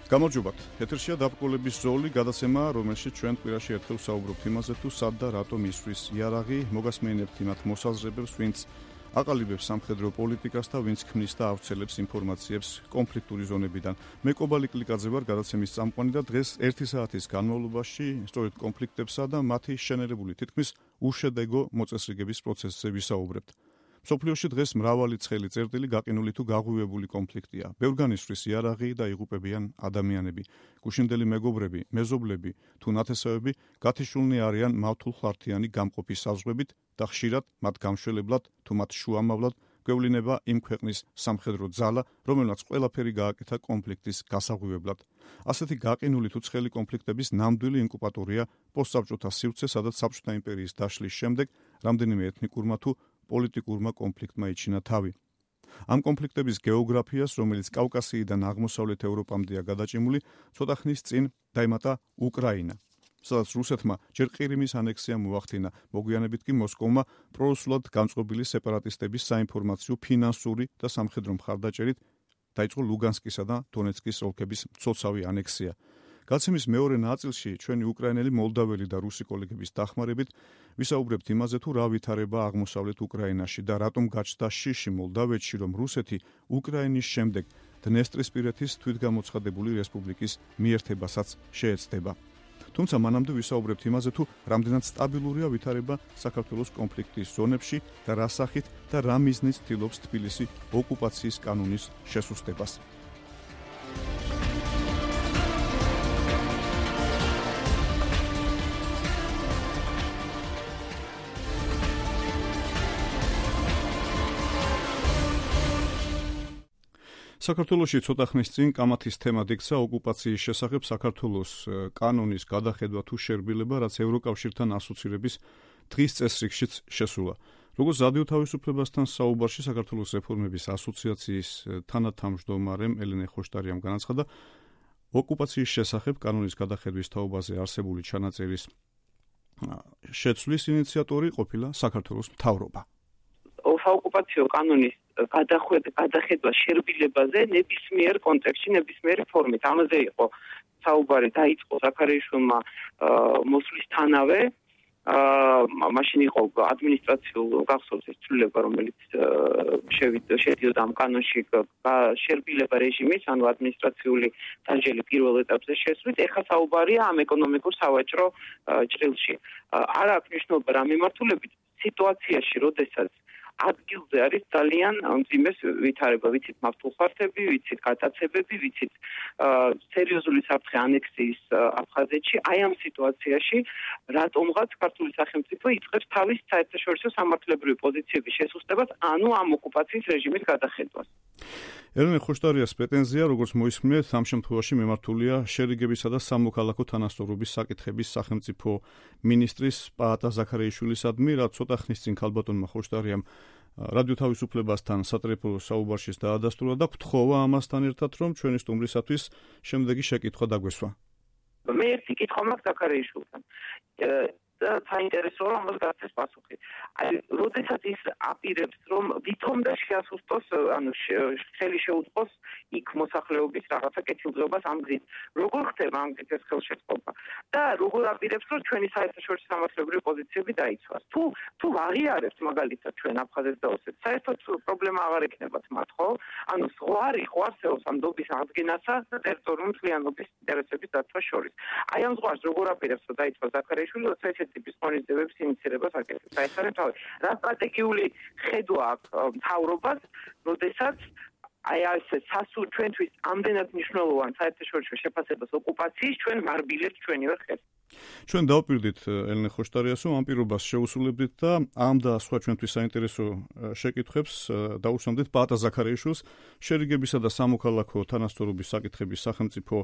გამარჯობათ. ეთერშია დაბრკოლების ზოლი, გადაცემა, რომელშიც ჩვენ კვირაში ერთხელ ვსაუბრობთ იმაზე, თუ სად და რატომ ისვრის იარაღი, მოგასმენებთ იმათ მოსაზრებებს, ვინც აყალიბებს სამხედრო პოლიტიკას და ვინც ქმნის და ავრცელებს ინფორმაციებს კონფლიქტური ზონებიდან. მე კობალი კლიკაძე ვარ, გადაცემის წამყვანი და დღეს 1 საათის განმავლობაში სწორედ კონფლიქტებსა და მათი შენერებული თითქმის უშედეგო მოწესრიგების პროცესზე ვისაუბრებთ. მსოფლიოში დღეს მრავალი ცხელი წერტილი გაყინული თუ გაღვივებული კონფლიქტია. ბევრგან ისვრის იარაღი და იღუპებიან ადამიანები. გუშინდელი მეგობრები, მეზობლები თუ ნათესავები გათიშულნი არიან მავთულხლართიანი გამყოფის საზღვრებით და ხშირად მათ გამშველებლად თუ მათ შუამავლად გვევლინება იმ ქვეყნის სამხედრო ძალა, რომელმაც ყველაფერი გააკეთა კონფლიქტის გასაღვივებლად. ასეთი გაყინული თუ ცხელი კონფლიქტების ნამდვილი ინკუბატორია პოსტსაბჭოთა სივრცე, სადაც საბჭოთა იმპერიის დაშლის შემდეგ რამდენიმე ეთნიკურმა თუ პოლიტიკურმა კონფლიქტმა იჩინა თავი. ამ კონფლიქტების გეოგრაფიას, რომელიც კავკასიიდან აღმოსავლეთ ევროპამდეა გადაჭიმული, ცოტა ხნის წინ დაემატა უკრაინა, სადაც რუსეთმა ჯერ ყირიმის ანექსია მოახდინა, მოგვიანებით კი მოსკოვმა პრორუსულად გამწყობილი სეპარატისტების საინფორმაციო, ფინანსური და სამხედრო მხარდაჭერით დაიწყო ლუგანსკისა და დონეცკის ოლქების მცოცავი ანექსია. გადაცემის მეორე ნაწილში ჩვენი უკრაინელი, მოლდაველი და რუსი კოლეგების დახმარებით ვისაუბრებთ იმაზე, თუ რა ვითარება აღმოსავლეთ უკრაინაში და რატომ გაჩნდა შიში მოლდავეთში, რომ რუსეთი უკრაინის შემდეგ დნესტრისპირეთის თვითგამოცხადებული რესპუბლიკის მიერთებასაც შეეცდება. თუმცა მანამდე ვისაუბრებთ იმაზე, თუ რამდენად სტაბილურია ვითარება საქართველოს კონფლიქტის ზონებში და რა სახით და რა მიზნით ცდილობს თბილისი ოკუპაციის კანონის შესუსტებას. საქართველოში ცოტა ხნის წინ კამათის თემა იქცა ოკუპაციის შესახებ საქართველოს კანონის გადახედვა თუ შერბილება, რაც ევროკავშირთან ასოცირების დღის წესრიგშიც შესულა. როგორც რადიო თავისუფლებასთან საუბარში საქართველოს რეფორმების ასოციაციის თანათავმჯდომარემ ელენე ხოშტარიამ განაცხადა, ოკუპაციის შესახებ კანონის გადახედვის თაობაზე არსებული ჩანაწერის შეცვლის ინიციატორი ყოფილა საქართველოს მთავრობა. საოკუპაციო კანონის გადახედვა შერბილებაზე ნებისმიერ კონტექსტში, ნებისმიერი ფორმით. ამაზე იყო საუბარი, დაიწყო ზაქარიაშვილმა მოსვლისთანავე. მაშინ იყო ადმინისტრაციულ გახსოვს ეს ცვლილება, რომელიც შედიოდა ამ კანონში შერბილება რეჟიმის, ანუ ადმინისტრაციული დასჯელი პირველ ეტაპზე შესვლით. ეხლა საუბარია ამ ეკონომიკურ სავაჭრო ჭრილში. არ აქვს მნიშვნელობა რა მიმართულებით სიტუაციაში, როდესაც ადგილზე არის ძალიან მძიმე ვითარება, ვიცით მავთულხლართები, ვიცით გატაცებები, ვიცით სერიოზული საფრთხე ანექსიის აფხაზეთში. აი ამ სიტუაციაში რატომღაც ქართული სახელმწიფო იწყებს თავის საერთაშორისო სამართლებრივი პოზიციების შესუსტებას, ანუ ამ ოკუპაციის რეჟიმის გადახედვას. ელენე ხოშტარიას პრეტენზია, როგორც მოისმენთ, ამ შემთხვევაში მიმართულია შერიგებისა და სამოქალაქო თანასწორობის საკითხების სახელმწიფო მინისტრის პაატა ზაქარიაშვილისადმი, რაც ცოტა ხნის წინ ქალბატონმა ხოშტარიამ რადიო თავისუფლებასთან სატრიალო საუბარშიც დაადასტურა და გთხოვა ამასთან ერთად, რომ ჩვენი სტუმრისათვის შემდეგი შეკითხვა დაგვესვა. მე ერთი კითხვა მაქვს ზაქარიაშვილთან. და საინტერესოა ამას გაცეს პასუხი. აი, როდესაც ის აპირებს, რომ ვითომ და შეასუსტოს, ანუ ხელი შეუწყოს იქ მოსახლეობის რაღაცა კეთილდღეობას ამ გზით. როგორ ხდება ამ გზით ეს ხელშეწყობა? და როგორ აპირებს, რომ ჩვენი საერთაშორისო სამართლებრივი პოზიციები დაიცვას? თუ აღიარებთ მაგალითად ჩვენ აფხაზეთს და ოსეთს, საერთოდ პრობლემა აღარ ექნებათ მათ, ხო? ანუ ზღვარი ხო არსებობს ამ დობის აღდგენასა და ტერიტორიული მთლიანობის ინტერესების დაცვას შორის. აი ამ ზღვარს როგორ აპირებს, რომ დაიცვას ზაქარიაშვილი, როცა ტიპის მონიზებების ინიციირებას აკეთებს. აი ეს არის თავი. რა სტრატეგიული ხედვა აქვს მთავრობას, როდესაც აი ეს ჩვენთვის ამდენად მნიშვნელოვან საერთაშორისო შეფასებას ოკუპაციის ჩვენ მარბილებს ჩვენივე ხეს. ჩვენ დავპირდით ელენე ხოშტარიას, რომ ამ პირობას შეუსრულებდით და ამ და სხვა ჩვენთვის საინტერესო შეკითხვებს დაუსვამდით პაატა ზაქარიაშვილს, შერიგებისა და სამოქალაქო თანასწორობის საკითხების სახელმწიფო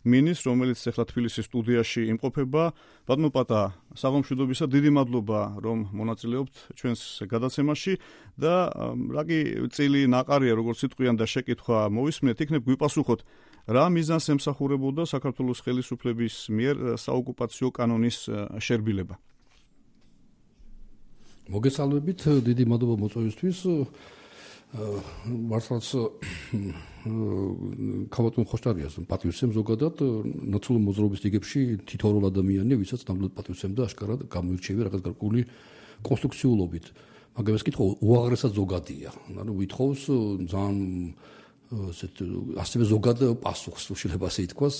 მინისტრს, რომელიც ახლა თბილისის სტუდიაში იმყოფება. ბატონო პაატა, საღამოშვიდობისა, დიდი მადლობა, რომ მონაწილეობთ ჩვენს გადაცემაში და რა კი წილი ნაყარია, როგორც სიტყვიან და შეკითხვა მოვისმენთ, იქნებ გვიპასუხოთ. რა მიზანს ემსახურებოდა საქართველოს ხელისუფლების მიერ საოკუპაციო კანონის შერბილება? მოგესალმებით, დიდი მადლობა მოწვევისთვის. მართლაც ქალბატონ ხოშტარიას პატივცემ ზოგადად ნაცნობი მოძრაობის რიგებში თითოეულ ადამიანია, ვისაც ნამდვილად პატივცემ და აშკარად გამოირჩევია რაღაც გარკვეული კონსტრუქციულობით. მაგრამ ეს კითხვა უაღრესად ზოგადია. ანუ ვითხოვს ძალიან ასევე ზოგად პასუხს, შეიძლება ასე ითქვას,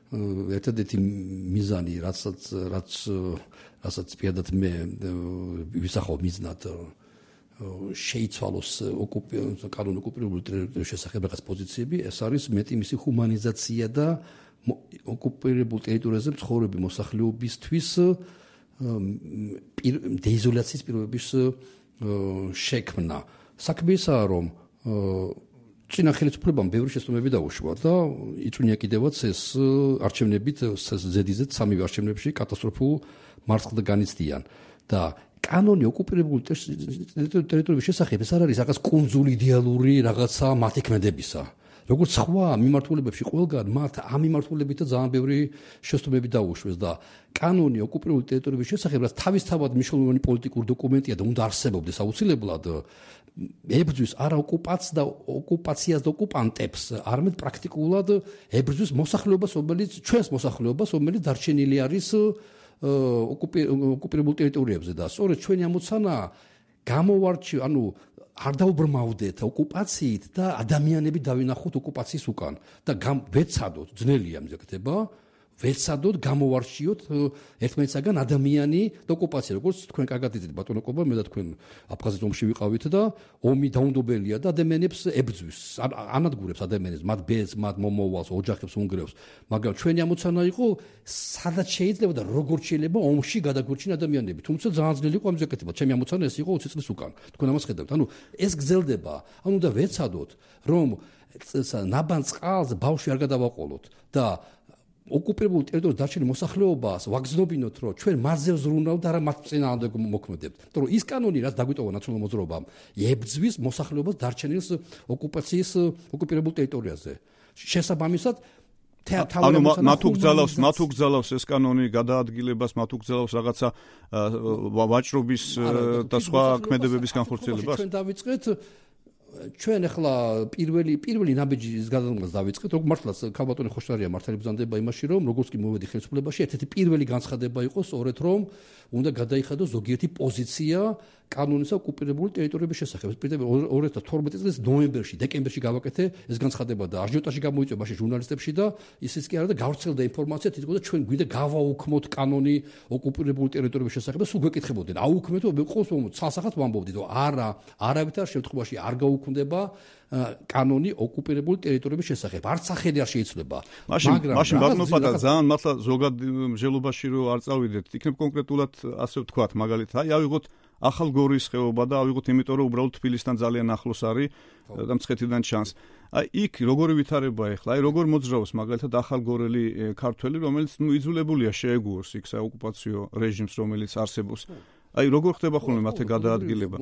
ერთადერთი მიზანი, რასაც პირადად მე ვისახავ მიზნად შეიცვალოს კანონ ოკუპირებული ტერიტორიის შესახებ რაღაც პოზიციები, ეს არის მეტი მისი ჰუმანიზაცია და ოკუპირებულ ტერიტორიაზე მცხოვრები მოსახლეობისთვის დეიზოლაციის პირობების შექმნა. საქმე ისაა, რომ წინა ხელისუფლებამ ბევრი შეცდომები დაუშვა და იწვია კიდევაც ეს არჩევნებით ზედიზედ სამივე არჩევნებში კატასტროფულ მარცხს განიცდიან და კანონი ოკუპირებული ტერიტორიების შესახებ ეს არ არის რაღაც კუნძული იდეალური რაღაცა მათი ქმედებისა. როგორც სხვა მიმართულებებში ყველგან მათ ამ მიმართულებითა ძალიან ბევრი შეცდომები დაუშვეს და კანონი ოკუპირებული ტერიტორიების შესახებ რაც თავისთავად მნიშვნელოვანი პოლიტიკური დოკუმენტია და უნდა არსებობდეს აუცილებლად ებრძვის არა ოკუპაციას და ოკუპანტებს, არამედ პრაქტიკულად ებრძვის მოსახლეობას, ჩვენს მოსახლეობას, რომელიც დარჩენილი არის ოკუპირებულ ტერიტორიებზე და სწორედ ჩვენი ამოცანა გამოვარჩიოთ, ანუ არ დაუბრმავდეთ ოკუპაციით და ადამიანები დავინახოთ ოკუპაციის უკან და ვეცადოთ, ძნელია მზე ხდება, ვეცადოთ გამოვარჩიოთ ერთმანეთსაგან ადამიანი და ოკუპაცია, როგორც თქვენ კარგად იცით ბატონო ყობა, მე და თქვენ აფხაზეთ ომში ვიყავით და ომი დაუნდობელია და ადამიანებს ებრძვის, ანადგურებს ადამიანებს, მათ ბედს, მათ მომავალს, ოჯახებს უნგრევს, მაგრამ ჩვენი ამოცანა იყო, სადაც შეიძლება და როგორ შეიძლება ომში გადაგვირჩინა ადამიანები, თუმცა ძალიან ძნელი იყო ამის გაკეთება. ჩემი ამოცანა ეს იყო 20 წლის უკან. თქვენ ამას ხედავთ, ანუ ეს გრძელდება, ანუ და ვეცადოთ, რომ ნაბან წყალს ბავშვი არ გადავაყოლოთ და ოკუპირებულ ტერიტორიაზე დარჩენილ მოსახლეობას ვაგზნობინოთ, რომ ჩვენ მათზე ვზრუნავთ და არა მათ წინააღმდეგ მოქმედებთ. იმიტომ რომ ის კანონი, რაც დაგვიტოვა ნაცნობი მოძრაობამ, ებრძვის მოსახლეობას დარჩენილ ოკუპირებულ ტერიტორიაზე. შესაბამისად, ანუ მათ უგზალავს ეს კანონი გადაადგილებას, მათ უგზალავს რაღაცა ვაჭრობის და სხვა ქმედებების განხორციელებას. ჩვენ დავიწყეთ ჩვენ ახლა პირველი ნაბიჯის გადადგმას დავიწყეთ, როგორც მართლაც ქალბატონი ხოშტარია მართალი ბრძანდება იმაში, რომ როგორც კი მოვედი ხელისუფლებაში, ერთ-ერთი პირველი განცხადება იყო სწორედ, რომ უნდა გადაიხადოს ზოგიერთი პოზიცია კანონისა ოკუპირებული ტერიტორიების შესახებ. 2012 წლის ნოემბერში, დეკემბერში გავაკეთე ეს განცხადება და აჟიოტაჟი გამოიწვია მაშინ ჟურნალისტებში და ისიც კი არა და გავრცელდა ინფორმაცია, თითქოს ჩვენ გვინდა გავაუქმოთ კანონი ოკუპირებული ტერიტორიების შესახებ და სულ გვეკითხებოდნენ. აუქმეთო, მე ყოს ცალსახად ვამბობდით, რომ არავითარ შემთხვევაში არ გაუქმდება კანონი ოკუპირებული ტერიტორიების შესახებ. არც სახელი არ შეიცვლება. მაშინ ბაგნოპატა ძალიან მართლა ზოგად მსჯელობაში რო არ წავიდეთ, იქნებ კონკრეტულად ასე ვთქვათ, მაგალითად, აი ავიღოთ ახალგორის ხეობა და ავიღოთ იმიტომ რომ უბრალოდ თბილისთან ძალიან ახლოს არის და მცხეთიდან ჩანს. აი იქ როგორი ვითარება ახლა, აი როგორ მოძრაობს მაგალითად ახალგორელი ქართველი, რომელიც იძულებულია შეეგუოს იქ საოკუპაციო რეჟიმს, რომელიც არსებობს. აი როგორ ხდება ხოლმე მათე გადაადგილება?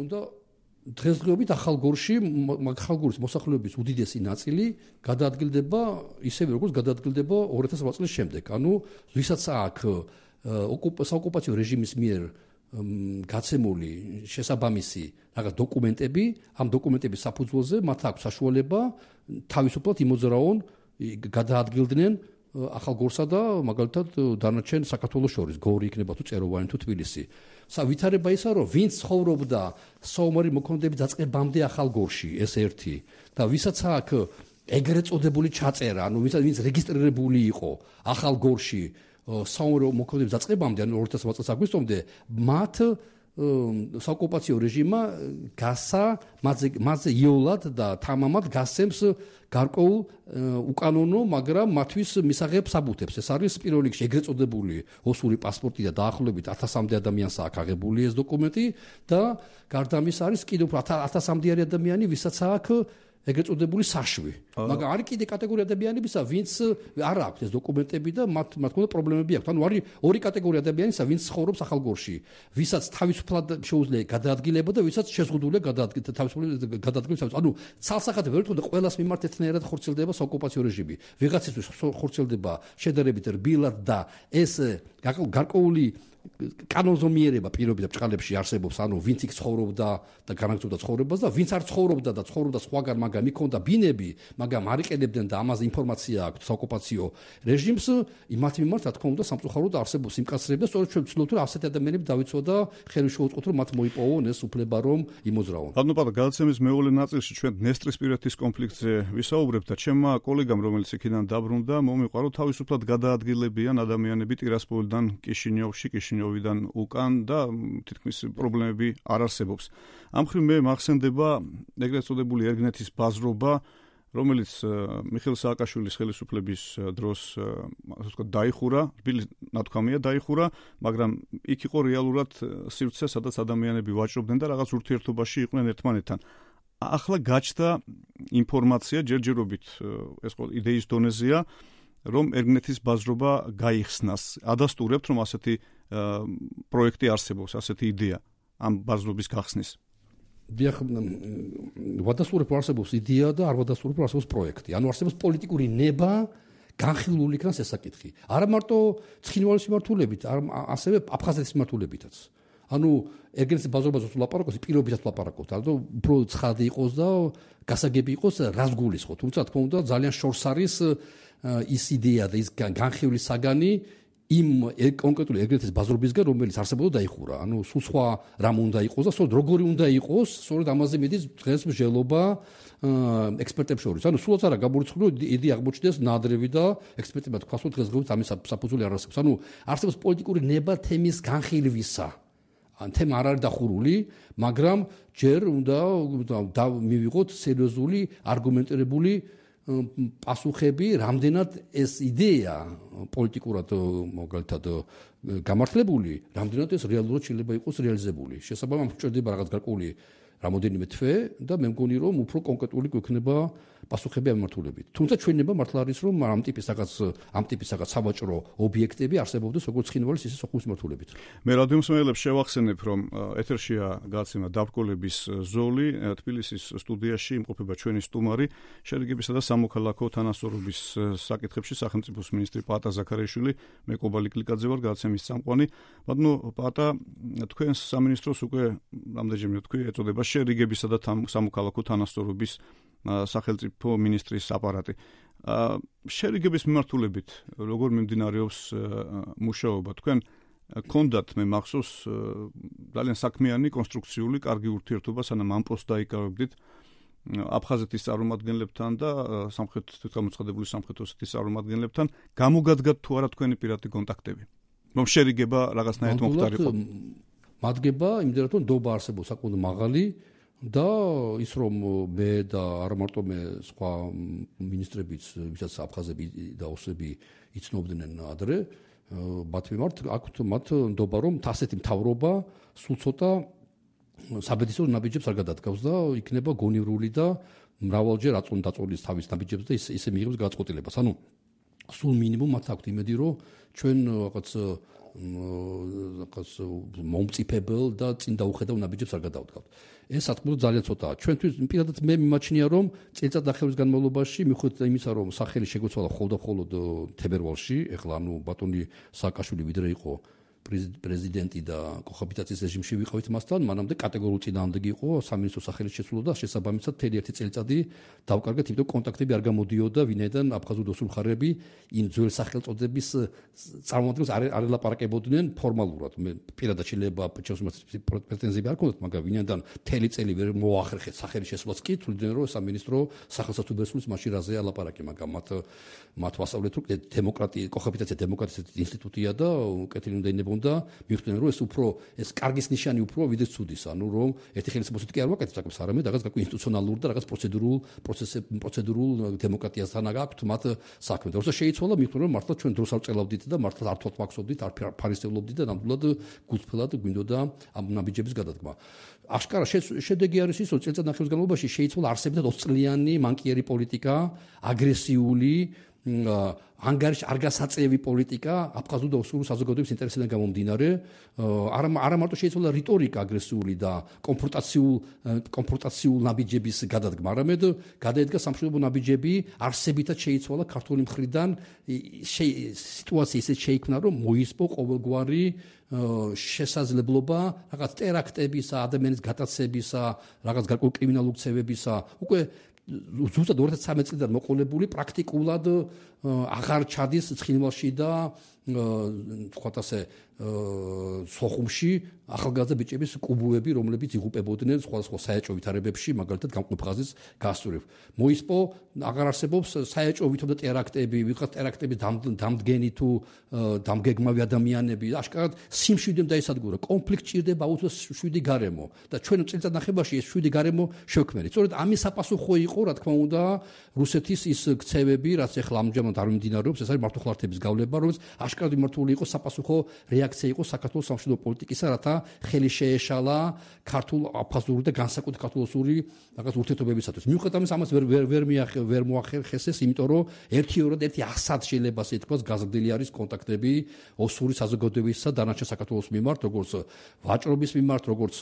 დღესდღეობით ახალგორში ახალგორის მოსახლეობის უდიდესი ნაწილი გადაადგილდება ისევე როგორც გადაადგილდება 2008 წლის შემდეგ. ანუ ვისაც აქვს საოკუპაციო რეჟიმის მიერ გაცემული შესაბამისი რაღაც დოკუმენტები, ამ დოკუმენტების საფუძველზე მათ აქვს საშუალება თავისუფლად იმოძრაონ, გადაადგილდნენ ახალგორსა და მაგალითად დანარჩენ საქართველოს შორის, გორი იქნება თუ წეროვანი თუ თბილისი. ვითარება ისა, რომ ვინც ცხოვრობდა საომარი მოქმედების დაწყებამდე ახალგორში, ეს ერთი და ვისაც აქვს ეგრეთ წოდებული ჩაწერა, ანუ ვინც რეგისტრირებული იყო ახალგორში საომარი მოქმედების დაწყებამდე, ანუ 2008 წელს აგვისტომდე, მათ საოკუპაციო რეჟიმმა გასა მასზე იოლად და თამამად გასცემს გარკვეულ უკანონო, მაგრამ მათთვის მისაღებ საბუთებს. ეს არის პირველ რიგში ეგრეთ წოდებული ოსური პასპორტი და დაახლოებით 1000-მდე ადამიანს აქვს აღებული ეს დოკუმენტი და გარდა ამისა არის კიდევ 1000-მდე ადამიანი, ვისაც აქვს ეგრეთ წოდებული საშვი. მაგრამ არის კიდე კატეგორია ადამიანებისა, ვინც არ აქვს ეს დოკუმენტები და მათ მქონდა პრობლემები აქვს. ანუ არის ორი კატეგორია ადამიანისა, ვინც ცხოვრობს ახალგორში, ვისაც თავისუფლად შეუძლია გადაადგილება და ვისაც შეზღუდულია გადაადგილება. ანუ ცალსახად ვერ თქო და ყველას მიმართ ერთნაირად ხორციელდება საოკუპაციო რეჟიმი. ვიღაცისთვის ხორციელდება შედარებით რბილად და ეს გარკვეული კანონზომიერება პირობითად ბრწყალებში არსებობს, ანუ ვინც იქ ცხოვრობდა და განაგრძობდა ცხოვრებას და ვინც არ ცხოვრობდა და ცხოვრობდა სხვაგან, მაგრამ იქონდა ბინები, მაგრამ არ იყენებდნენ და ამაზე ინფორმაცია აქვს საოკუპაციო რეჟიმს, იმათ მიმართ რა თქმა უნდა სამწუხაროდ არსებობს იმკაცრება, სწორედ ჩვენ ვცდილობთ რომ ასეთი ადამიანები დავიცვა და ხელი შეუწყოთ რომ მათ მოიპოვონ ეს უფლება რომ იმოძრავონ. ანუ პატარა გადაცემის მეორე ნაწილში ჩვენ დნესტრისპირეთის კონფლიქტზე ვისაუბრებთ და ჩემმა კოლეგამ რომელიც იქიდან დაბრუნდა მომიყვა რომ თავისუფლად გადაადგილებიან ადამიანები ტირასპოლიდან კიშინიოვიდან უკან და თითქმის პრობლემები არ არსებობს. ამ მხრივ მე მახსენდება ეგრეთ წოდებული ერგნეთის ბაზრობა, რომელიც მიხეილ სააკაშვილის ხელისუფლების დროს ასე ვთქვათ დაიხურა, თბილი ნათქვამია დაიხურა, მაგრამ იქ იყო რეალურად სივრცე, სადაც ადამიანები ვაჭრობდნენ და რაღაც ურთიერთობაში იყვნენ ერთმანეთთან. ახლა გაჩნდა ინფორმაცია ჯერჯერობით ეს ყოველ იდეის დონეზეა, რომ ერგნეთის ბაზრობა გაიხსნას. ადასტურებთ, რომ ასეთი პროექტი არსებობს, ასეთი იდეა ამ ბაზრობის გახსნის. დიახ, ვადასტურებ არსებობს იდეა და არ ვადასტურებ არსებობს პროექტი. ანუ არსებობს პოლიტიკური ნება, განხილული იქნას ეს საკითხი. არა მარტო ცხინვალის მიმართულებით, ასევე აფხაზეთის მიმართულებითაც. ანუ ერგნეთის ბაზრობაზე ლაპარაკობს, პირობითად ლაპარაკობს, ანუ უფრო ცხადი იყოს და გასაგები იყოს რას გულისხმობ. თუმცა თქმა უნდა ძალიან შორს არის ის იდეა და ის განხილული საგანი იმ კონკრეტული ერგნეთის ბაზრობისგან, რომელიც არსებობდა დაიხურა. ანუ სულ სხვა რამ უნდა იყოს და სწორედ როგორი უნდა იყოს, სწორედ ამაზე მიდის დღეს მსჯელობა ექსპერტებს შორის. ანუ სულაც არა გამორიცხული იდეა აღმოჩნდეს ნადრევი და ექსპერტებმა თქვას, რომ დღესდღეობით ამის საფუძველი არ არსებობს. ანუ არსებობს პოლიტიკური ნება თემის განხილვისა. ან თემა არ არის დახურული, მაგრამ ჯერ უნდა მივიღოთ სერიოზული არგუმენტირებული პასუხები, რამდენად ეს იდეა პოლიტიკურად მაგალითად გამართლებული, რამდენად ეს რეალურად შეიძლება იყოს რეალიზებული. შესაბამისად, მჭირდება რაღაც გარკვეული რამოდენიმე თვე და მე მგონი რომ უფრო კონკრეტული გვექნება პასუხები ამ მიმართულებით. თუმცა ჩვენება მართლა არის რომ ამ ტიპის რაღაც სავაჭრო ობიექტები არსებობდეს როგორც ცხინვალის ისე სოხუმის მიმართულებით. მე რადიომსმენელებს შევახსენებ რომ ეთერშია გადაცემა დაბრკოლების ზოლი, თბილისის სტუდიაში იმყოფება ჩვენი სტუმარი, შერიგებისა და სამოქალაქო თანასწორობის საკითხებში სახელმწიფოს მინისტრი პაატა ზაქარიაშვილი, მე კობალი კლიკაძე ვარ, გადაცემის წამყვანი. ბატონო პაატა, თქვენს სამინისტროს უკვე რამდენჯერმე თქვი ეწოდება შერიგებისა და სამოქალაქო თანასწორობის სახელმწიფო მინისტრის აპარატი. შერიგების მიმართულებით როგორ მიმდინარეობს მუშაობა? თქვენ გქონდათ მე მახსოვს ძალიან საქმიანი კონსტრუქციული კარგი ურთიერთობა სანამ ამ პოსტს დაიკავებდით აფხაზეთის წარმომადგენლებთან და გამოცხადებული სამხრეთ ოსეთის წარმომადგენლებთან. გამოგადგათ თუ არა თქვენი პირადი კონტაქტები? რომ შერიგება რაღაცნაირად მომხდარიყო. მადგება იმდენად რომ ნდობა არსებობს საკმაოდ მაღალი და ის რომ მე და არ მარტო მე სხვა მინისტრებიც ვისაც აფხაზები და ოსები იცნობდნენ ადრე მათ მიმართ აქვთ მათ ნდობა რომ ასეთი მთავრობა სულ ცოტა საბედისო ნაბიჯებს არ გადადგავს და იქნება გონივრული და მრავალჯერ დაწოლის თავის ნაბიჯებს და ისე მიიღებს გადაწყვეტილებას. ანუ სულ მინიმუმ მათ აქვთ იმედი რომ ჩვენ რაღაც მომწიფებელ და წინ დაუხედავ ნაბიჯებს არ გადავდგავთ. ეს საკმაოდ ძალიან ცოტაა. ჩვენთვის პირადად მე მიმაჩნია რომ წელიწად ნახევრის განმავლობაში მიუხედავად იმისა რომ სახელი შეგვეცვალა მხოლოდ თებერვალში, ეხლა ანუ ბატონი სააკაშვილი ვიდრე იყო პრეზიდენტი და კოჰაბიტაციის რეჟიმში ვიყავით მასთან, მანამდე კატეგორიულ წინააღმდეგი იყო სამინისტრო სახელით შეცვლილо და შესაბამისად მთელი ერთი წელიწადი დავკარგეთ, იმიტომ კონტაქტები არ გამოდიოდა ვინაიდან აფხაზური ოსური მხარეები იმ ძველ სახელწოდების წარმოადგენს არ ელაპარაკებოდნენ ფორმალურად. მე პირადად შეიძლება პრეტენზიები არ ქონდათ, მაგრამ ვინაიდან მთელი წელი ვერ მოახერხეთ სახელი შესვლაც კი თuliდნენ რომ სამინისტრო სახელმწიფოს მაშინ რაზე ელაპარაკე, მაგრამ მათ ვასწავლეთ რომ დემოკრატია, კოჰაბიტაცია დემოკრატიის ინსტიტუტია და კეთილი უნდა ინებონდა მიხვდნენ რომ ეს კარგის ნიშანი უფრო ვიდრე ცუდის, ანუ რომ ერთი ხელისუფლებით კი არ ვაკეთებ საკითხს, არამედ რაღაც ინსტიტუციონალურ და რაღაც პროცედურულ დემოკრატიასთან აქვს მათ საქმე. და როცა შეიცვალა მიხვდნენ რომ მართლა ჩვენ დროს არ წელავდით და მართლა არ თვალთვაქსობდით, არ ფარისევლობდით და ნამდვილად გულწრფელად გვინდოდა ამ ნაბიჯების გადადგმა. აშკარა შედეგი არის ის, რომ წელიწად ნახევრის განმავლობაში შეიცვალა არსებითად 20 წლიანი მანკიერი პოლიტიკა, აგრესიული ანგარიშ არ გასაწევი პოლიტიკა აფხაზურ და ოსურ საზოგადოების ინტერესიდან გამომდინარე არა მარტო შეიცვალა რიტორიკა აგრესიული და კონფრონტაციულ ნაბიჯების გადადგმა, არამედ გადაედგა სამშვიდობო ნაბიჯები არსებითად შეიცვალა ქართული მხრიდან სიტუაცია ისე შეიქმნა რომ მოისპო ყოველგვარი შესაძლებლობა რაღაც ტერაქტებისა, ადამიანის გატაცებისა, რაღაც გარკვეულ კრიმინალურ ქცევებისა, უკვე ზუსტად 2013 წლიდან მოყოლებული პრაქტიკულად აღარ ჩადის ცხინვალში და თქვათ ასე სოხუმში ახალგაზრდა ბიჭების კლუბები, რომლებიც იღუპებოდნენ სხვადასხვა საეჭვო ვითარებებში, მაგალითად გამყოფ ხაზის გასწვრივ. მოისპო აღარ არსებობს საეჭვო ვითომ და ტერაქტები, ვიღაც ტერაქტების დამდგენი თუ დამგეგმავი ადამიანები, აშკარად სიმშვიდემ დაისადგურა, კონფლიქტი ჭირდება აუცილებლად 7 გარემო და ჩვენ წელიწადნახევარში ეს 7 გარემო შევქმნით. სწორედ ამის საპასუხო იყო, რა თქმა უნდა, რუსეთის ის ქცევები, რაც ახლა ამჟამად არ მიმდინარეობს, ეს არის მართლმხლართების გავლება, რომელიც აშკარად მიმართული იყო საპასუხო რეაქცია იყო საქართველოს სამშვიდობო პოლიტიკისა, რათა ხელი შეეშალა ქართულ აფხაზური და განსაკუთრებით ქართულ-ოსური რაღაც ურთიერთობებისათვის. მიუხედავად ამისა, ამას ვერ მოახერხეს ეს, იმიტომ რომ ერთი-ორად ერთი ასად შეიძლება ასე ითქვას, გაზრდილი არის კონტაქტები ოსური საზოგადოებისა და დანარჩენ საქართველოს მიმართ, როგორც ვაჭრობის მიმართ, როგორც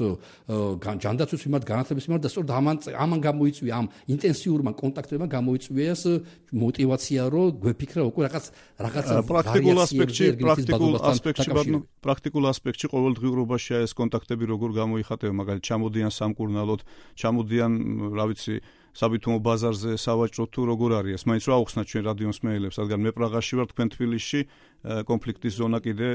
ჯანდაცვის მიმართ, განათლების მიმართ და სწორედ ამან გამოიწვია ამ ინტენსიურმა კონტაქტებმა გამოიწვია ეს мотивация, რომ გვეფიქრა უკვე რაღაც პრაქტიკულ ასპექტში ყოველდღიურობაშია ეს კონტაქტები როგორ გამოიხატება, მაგალითად ჩამოდიან სამკურნალოდ, ჩამოდიან, რა ვიცი, საბითუმო ბაზარზე, სავაჭრო თუ როგორ არის ეს. მაინც რა აუხსნათ ჩვენ რადიოს მეელებს, რადგან მე პრაღაში ვარ, თქვენ თბილისში, კონფლიქტის ზონა კიდე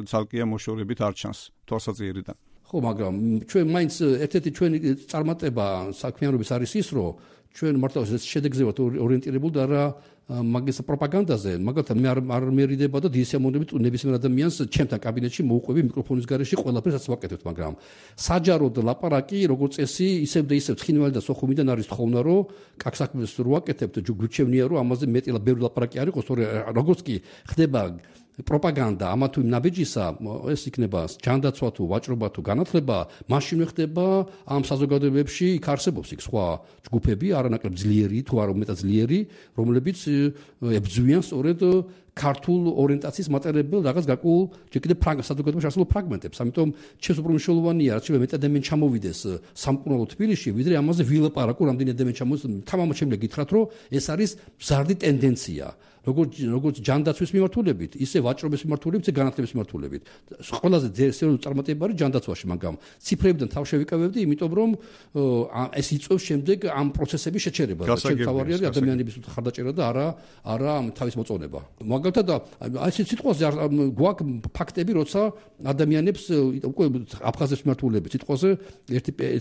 ცალკეა მოშორებით არ ჩანს თვალსაჩინოდან. ხო, მაგრამ ჩვენ მაინც ერთ-ერთი ჩვენი წარმატება საქმიანობის არის ის, რომ ჩვენ მართლა შედეგზე ვართ ორიენტირებული და რა მაგის პროპაგანდაზე, მაგალითად მე არ მერიდება და დიდი სიამოვნებით ნებისმიერ ადამიანს ჩემთან კაბინეტში მოუყვები მიკროფონის გარეშე ყველაფერს ვაკეთებთ, მაგრამ საჯაროდ ლაპარაკი როგორც წესი ისევ და ისევ ცხინვალი და სოხუმიდან არის თხოვნა, რომ კაკსაქმეს რო ვაკეთებთ, გვიჩვენია რომ ამაზე მეტი ბევრი ლაპარაკი არ იყოს, როგორც კი ხდება პროპაგანდა ამა თუ იმ ნაბიჯისა, ეს იქნება ჯანდაცვა თუ ვაჭრობა თუ განათლება, მაშინვე ხდება ამ საზოგადოებებში იქ არსებობს იქ სხვა ჯგუფები, არანაკლებ ძლიერი თუ არ უმეტად ძლიერი, რომლებიც ებრძვიან სწორედ ქართულ ორიენტაციის მატარებელ რაღაც გარკვეულ ჯერ კიდევ საზოგადოებაში არსებულ ფრაგმენტებს. ამიტომ ჩემს უფრო მნიშვნელოვანია, რაც შეიძლება მეტად ადამიანი ჩამოვიდეს სამკურნალო თბილისში, ვიდრე ამაზე ვილაპარაკო, რამდენი ადამიანი ჩამოვიდეს. თამამად შემიძლია გითხრათ, რომ ეს არის მზარდი ტენდენცია. როგორც ჯანდაცვის მიმართულებით, ისე ვაჭრობის მიმართულებით, ისე განათლების მიმართულებით. ყველაზე სერიოზული წარმატება არის ჯანდაცვაში, მაგრამ ციფრებიდან თავ შევიკავებდი, იმიტომ რომ ეს იწვევს შემდეგ ამ პროცესების შეჩერებას. ჩვენ თავარი არის ადამიანების ხარდაჭერა და არა თავის მოწონება. მაგალითად, ეს სიტყვაზე გვაქვს ფაქტები, როცა ადამიანებს უკვე აფხაზებს მიმართულებით სიტყვაზე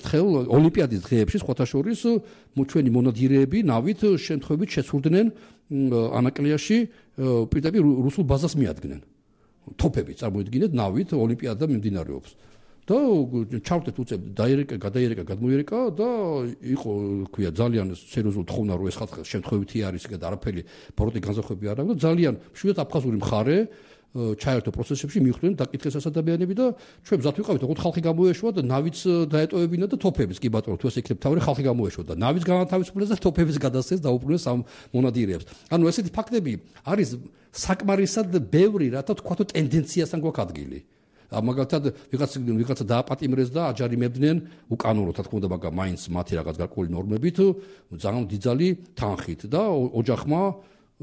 ერთხელ ოლიმპიადის დღეებში სხვათა შორის ჩვენი მონადირეები ნავით შემთხვევით შეცურდნენ ანაკლიაში პირდაპირ რუსულ ბაზას მიადგნენ. თოფები წარმოიდგინეთ ნავით ოლიმპიადა მიმდინარეობს. და ჩავდეთ უცებ გადმოიერეკა და იყო ქვია ძალიან სერიოზული თხოვნა რომ ეს ხალხი შემთხვევითი არის და არაფერი ბოროტი განზრახვები არ აქვს და ძალიან მშვიდად აფხაზური მხარე ჩაერთო პროცესებში მიხვდნენ დაკითხეს ადამიანები და ჩვენ მზად ვიყავით ოღონდ ხალხი გამოეშვა და ნავიც დაეტოვებინა და თოფების კი ბატონო თუ ეს იქნებ თავი ხალხი გამოეშვა და ნავიც განათავისუფლეს და თოფების გადასცეს დაუბრუნეს ამ მონადირეებს. ანუ ესეთი ფაქტები არის საკმარისად ბევრი, რათა თქვა თუ ტენდენციასთან გვაქვს ადგილი. მაგალითად ვიღაცა დააპატიმრეს და აჯარიმებდნენ უკანონოდ, რა თქმა უნდა, მაგრამ მაინც მათი რაღაც გარკვეული ნორმებით ძალიან დიდძალი თანხით და ოჯახმა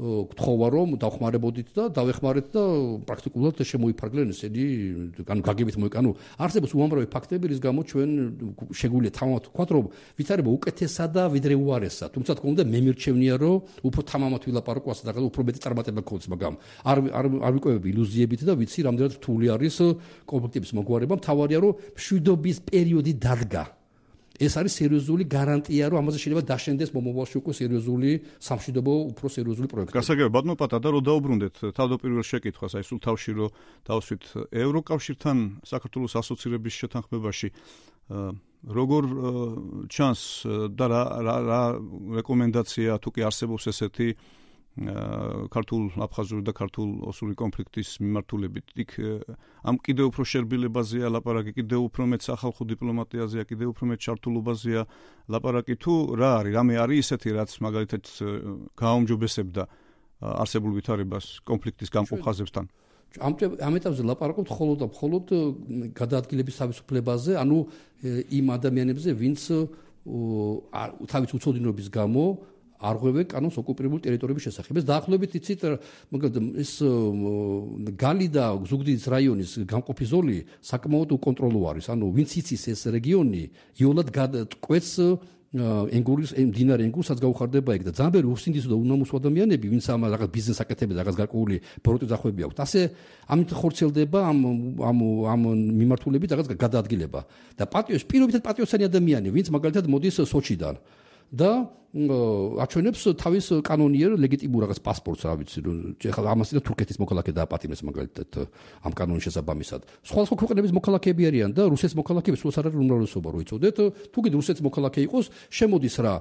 გთხოვა რომ დავხმარებოდით და დავეხმარეთ და პრაქტიკულად შემოიფარგლენ ესენი გაგებით მოიკანო. არსებობს უამრავი ფაქტები, რის გამო ჩვენ შეგვიძლია თამამად ვთქვათ, რომ ვითარება უკეთესადა ვიდრე უარესა. თუმცა თქო უნდა მე მირჩევნია, რომ უფრო თამამად ვილაპარაკო ასე და უფრო მეტი წარმატება გქონდეს, მაგრამ არ ვიკვებები ილუზიებით და ვიცი რამდენად რთული არის კონფლიქტების მოგვარება. მთავარია რომ მშვიდობის პერიოდი დადგა. ეს არის სერიოზული გარანტია, რომ ამაზე შეიძლება დაშენდეს მომავალში უკვე სერიოზული სამშვიდობო, უფრო სერიოზული პროექტი. გასაგებია, ბატონო პატა, რომ დაუბრუნდეთ თავდაპირველ შეკითხვას, აი სულ თავში რომ დავსვით ევროკავშირთან საქართველოს ასოცირების შეთანხმებაში, როგორ ჩანს და რა რეკომენდაცია თუ კი არსებობს ესეთი ქართულ-აფხაზური და ქართულ-ოსური კონფლიქტის მიმართულებით. იქ ამ კიდევ უფრო შერბილებაზეა ლაპარაკი, კიდევ უფრო მეტ სახალხო დიპლომატიაზეა, კიდევ უფრო მეტ ჩართულობაზეა ლაპარაკი თუ რა არის? რამე არის ისეთი, რაც მაგალითად გააუმჯობესებდა არსებულ ვითარებას კონფლიქტის გამყოფ ხაზებთან. ამ ეტაპზე ლაპარაკობთ მხოლოდ გადაადგილების თავისუფლებაზე, ანუ იმ ადამიანებზე, ვინც თავის უცოდინობის გამო არღვევენ კანონს ოკუპირებული ტერიტორიების შესახებ. ეს დაახლოებით იცით, ეს გალი და ზუგდიდის რაიონის გამყოფი ზოლი საკმაოდ უკონტროლო არის. ანუ ვინც იცის ეს რეგიონი, იოლად კვეთს ენგურის მდინარე ენგურსაც გაუხარდება იქ და ძალიან ბევრი უსინდისო და უნამუსო ადამიანები, ვინც ამ რაღაც ბიზნეს აკეთებენ, რაღაც გარკვეული პროდუქტი დახვეები აქვთ. ასე ამით ხორციელდება ამ მიმართულებით რაღაც გადაადგილება. და პირობითად პატრიოტიანი ადამიანი, ვინც მაგალითად მოდის სოჩიდან და აჩვენებს თავის კანონიერ ლეგიტიმურ რაღაც პასპორტს, რა ვიცი, ეხლა ამასი და თურქეთის მოქალაქე დააპატიმრეს მაგალითად ამ კანონის შესაბამისად. სხვა ქვეყნების მოქალაქეები არიან და რუსეთის მოქალაქეები სულაც არ არის უმრავლესობა, რო იცოდეთ. თუ კიდე რუსეთის მოქალაქე იყოს, შემოდის რა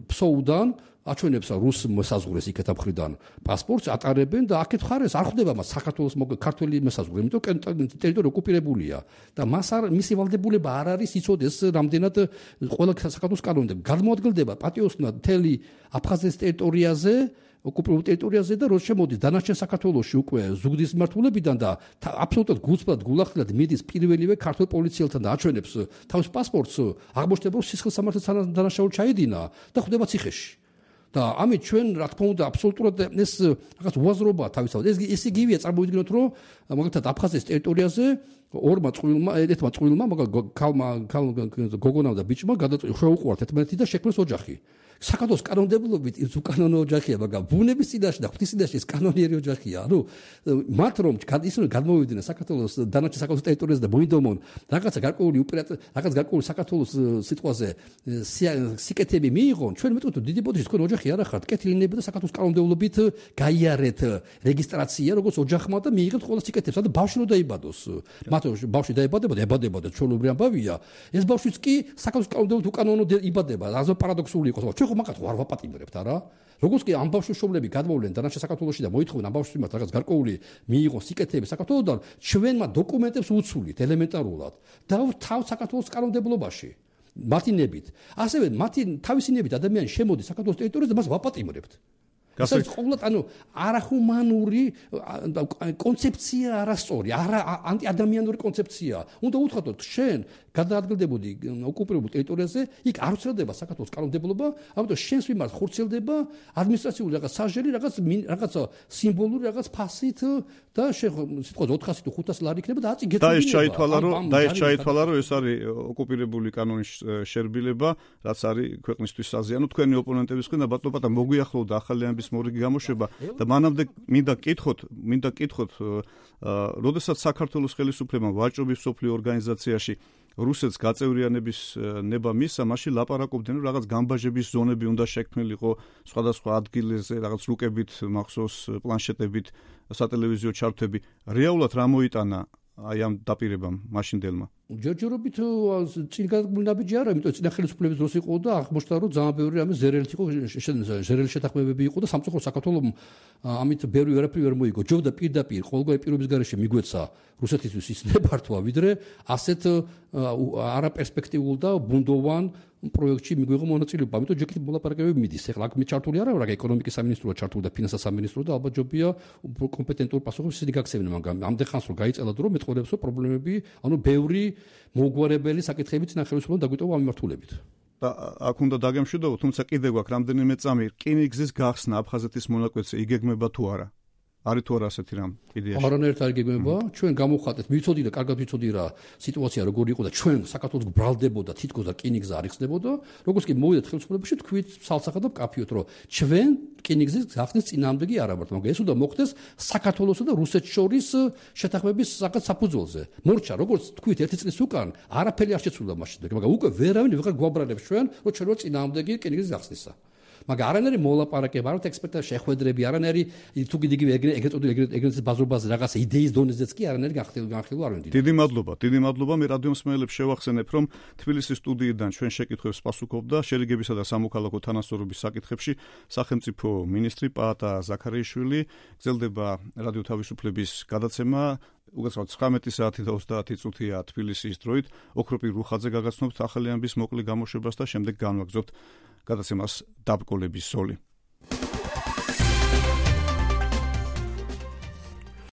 ფსოუდან, აჩვენებს რუს მოსაზღვრეს იქეთა მხრიდან პასპორტს ატარებენ და აქეთ ხარეს არ ხვდება მას საქართველოს ქართველი მოსაზღვრე, იმიტომ ტერიტორია ოკუპირებულია და მისი ვალდებულება არ არის იცოდეს რამდენად ყველა საქართველოს კანონი და გადმოადგილდება პატიოსნად მთელი აფხაზეთის ტერიტორიაზე, ოკუპირებულ ტერიტორიაზე და რო შემოდის დანარჩენ საქართველოში უკვე ზუგდიდის მიმართულებიდან და აბსოლუტურად გულწრფელად გულახდილად მიდის პირველივე ქართულ პოლიციელთან და აჩვენებს თავის პასპორტს, აღმოჩნდება რომ სისხლის სამართლის დანაშაული ჩაედინა და ხვდება ციხეში. და ამით ჩვენ რა თქმა უნდა აბსოლუტურად ეს რაღაც უაზრობა თავისთავად ეს იგივეა წარმოვიდგინოთ რომ მაგალითად აფხაზეთის ტერიტორიაზე ერთმა წყვილმა გოგონამ და ბიჭმა შეუყვართ ერთმანეთი და შექმნეს ოჯახი. საქართველოს კანონმდებლობით ის უკანონო ოჯახია, მაგრამ ბუნების წინაშე და ღვთის წინაშე ეს კანონიერი ოჯახია. ანუ მათ რომ ისინი გადმოვიდნენ საქართველოს დანარჩენ საქართველოს ტერიტორიაზე და მოინდომონ რაღაცა გარკვეული რაღაც გარკვეული საქართველოს სიტყვაზე სიკეთები მიიღონ, ჩვენ მეტყვით რომ დიდი ბოდიში თქვენ ოჯახი არ ახართ, კეთილინები და საქართველოს კანონმდებლობით გაიარეთ რეგისტრაცია როგორც ოჯახმა და მიიღეთ ყველა სიკეთებს. ანუ ბავშვი რო დაიბადოს, მათ ბავშვი დაიბადება და ჩვეულებრივი ამბავია, ეს ბავშვიც კი საქართველოს კანონმდებლობით უკანონოდ იბადება. რაზო პარადოქსული იყოს. ხო მაგათ არ ვაპატიმრებთ არა? როგორც კი ამ ბავშვის შობლები გადმოვლენ დანარჩენ საქართველოში და მოითხოვენ ამ ბავშვის მიმართ რაღაც გარკვეული მიიღოს სიკეთეები საქართველოსთან, ჩვენმა დოკუმენტებს უცვლით ელემენტარულად და თავ საქართველოს კანონმდებლობაში. მათი ნებით. ასევე მათი თავისი ნებით ადამიანი შემოდის საქართველოს ტერიტორიაზე და მას ვაპატიმრებთ. ეს ყოველდღე ანუ არახუმანური კონცეფცია არასწორი, ანტიადამიანური კონცეფცია. უნდა უთხრათ შენ გადაადგილდებოდი ოკუპირებულ ტერიტორიაზე, იქ არ ვრცელდება საქართველოს კანონმდებლობა, ამიტომ შენს მიმართ ხორციელდება ადმინისტრაციული რაღაც საჟელი, რაღაც სიმბოლური რაღაც ფასით და სიტყვაზე 400 თუ 500 ლარი იქნება და აწი გეწოდება. და ეს ჩაითვალა რომ ეს არის ოკუპირებული კანონის შერბილება, რაც არის ქვეყნისთვის საზიანო. თქვენი ოპონენტების მხრიდან ბატონო პატა მოგვიახლოვდა ახალი ამბის მორიგი გამოშვება და მანამდე მინდა კითხოთ, როდესაც საქართველოს ხელისუფლებამ ვაჭრობის სოფლიო ორგანიზაციაში რუსეთს გაწევრიანების ნება მისცა, მაშინ ლაპარაკობდნენ რომ რაღაც გამბაჟების ზონები უნდა შექმნილიყო სხვადასხვა ადგილებზე, რაღაც რუკებით, მახსოვს პლანშეტებით, სატელევიზიო ჩართვები. რეალურად რა მოიტანა აი ამ დაპირებამ მაშინდელმა? ჯერჯერობით წინ გადაგმნაბიჯი არა, იმიტომ წინა ხელისუფლების დროს იყო და აღმოჩნდა რომ ძალიან ბევრი რამე ზერელით იყო, ზერელი შეთანხმებები იყო და სამწუხაროდ საქართველოს ამით ბევრი ვერაფერი ვერ მოიგო. ჯობდა პირდაპირ ყოველგვარი პირობის გარეშე მიგვეცა რუსეთისთვის ის ნებართვა, ვიდრე ასეთ არაპერსპექტიულ და ბუნდოვან პროექტში მიგვიღო მონაწილეობა. ამიტომ ჯერ მოლაპარაკებები მიდის. ეხლა აქ ჩართული არა რა ეკონომიკის სამინისტროა ჩართული და ფინანსთა სამინისტრო და ალბათ ჯობია კომპეტენტურ პასუხებს ისინი გაქცევენ, მაგრამ ამდენ ხანს რომ გაიწელათ რომ მეტყოლებს რომ პრობლემები, ანუ ბევრი მოგვარებელი საკითხები წინა ხელისუფლებამ დაგვიტოვა ამ მიმართულებით. და აქ უნდა დაგემშვიდობო, თუმცა კიდე გვაქვს რამდენიმე წამი რკინიგზის გახსნა აფხაზეთის მონაკვეთზე იგეგმება თუ არა? არის თუ არა ასეთი რამ იდეაში? არანაირად არ იგეგმება. ჩვენ გამოვხატეთ, ვიცოდი და კარგად ვიცოდი რა სიტუაცია როგორი იყო და ჩვენ საქართველოს ბრალდებოდა თითქოს და რკინიგზა არ იხსნებოდა. როგორც კი მოვიდეთ ხელისუფლებაში, თქვით სალსახად და კაფიოთ, რომ ჩვენ რკინიგზის გახსნის წინააღმდეგ არ ვართ, მაგრამ ეს უნდა მოხდეს საქართველოსა და რუსეთს შორის შეთანხმების საფუძველზე. მორჩა, როგორც თქვით, ერთი წლის უკან არაფერი არ შეცვლა მაშინ, მაგრამ უკვე ვერავინ ვეღარ გვაბრალებს ჩვენ, რომ ჩვენ ვარ წინააღმდეგი რკინიგზის გახსნისა. მაგრამ არანაირი მოლაპარაკება, არამედ ექსპერტთა შეხვედრები, არანაირი თუ კიდე ეგრეთ ბაზრობაზე რაღაცა იდეის დონეზეც კი არანაირი განხილვა არ ვენდით. დიდი მადლობა. მე რადიომსმენელებს შევახსენებ, რომ თბილისის სტუდიიდან ჩვენ შეკითხვებს პასუხობდა შერიგებისა და სამოქალაქო თანასწორობის საკითხებში სახელმწიფო მინისტრი პაატა ზაქარიაშვილი. გრძელდება რადიო თავისუფლების გადაცემა. უგაცრავთ 19 საათი და 30 წუთია თბილისის დროით. ოქროპირ რუხაძე გაგაცნობთ ახალი ამბის მოკლე გამოშვებას და შემდეგ განვაგრძობთ გადაცემას დაბკოლების ზოლი.